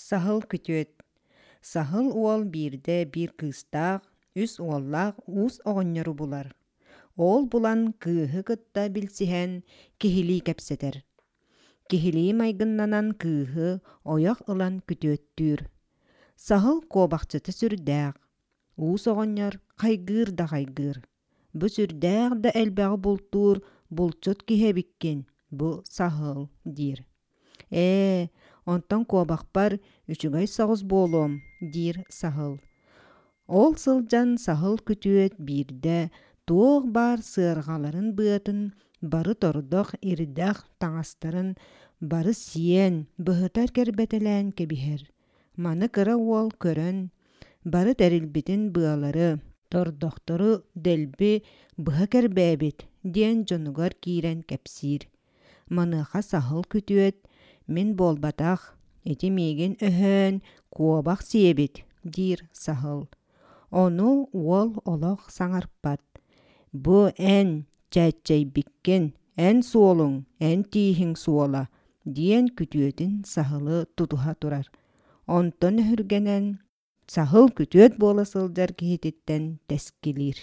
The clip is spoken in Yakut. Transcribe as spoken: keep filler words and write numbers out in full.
Саһыл күтүөт. Саһыл уол биирдэ биир кыыстаах, үс уоллаах уус оҕонньору булар. Ол булан кыыһы кытта билсиһэн киһилии кэпсэтэр. Киһилии майгыннанан кыыһы ойох ылан күтүөттүүр. Саһыл куобахчыта сүрдээх. Уус оҕонньор хайгыыр да хайгыыр. Бу сүрдээх да элбэҕи бултуур булчут киһи эбиккин, бу саһыл диир. Ээ, онтон куобахпар үчүгэй соҕус буолуом, диир саһыл. Ол сылдьан саһыл күтүөт биирдэ туох баар сыарҕаларын быатын бары тордох ирдэх таҥастарын бары сиэн, быһыта кэрбэтэлээн кэбиһэр. Маны кыра уол көрөн, бары тэрилбитин быалары, тордохтору дэлби быһа кэрбээбит диэн дьонугар киирэн кэпсиир. Маныаха саһыл күтүөт мин буолбатах, ити миигин өһөөн куобах сиэбит диир саһыл. Ону уол олох саҥарпат. Бу эн чээччэйбиккин, эн суолуҥ, эн тииһиҥ суола диэн күтүөтүн саһылы тутуһа турар. Онтон өһүргэнэн саһыл күтүөт буола сылдьар киһититтэн тэскилиир.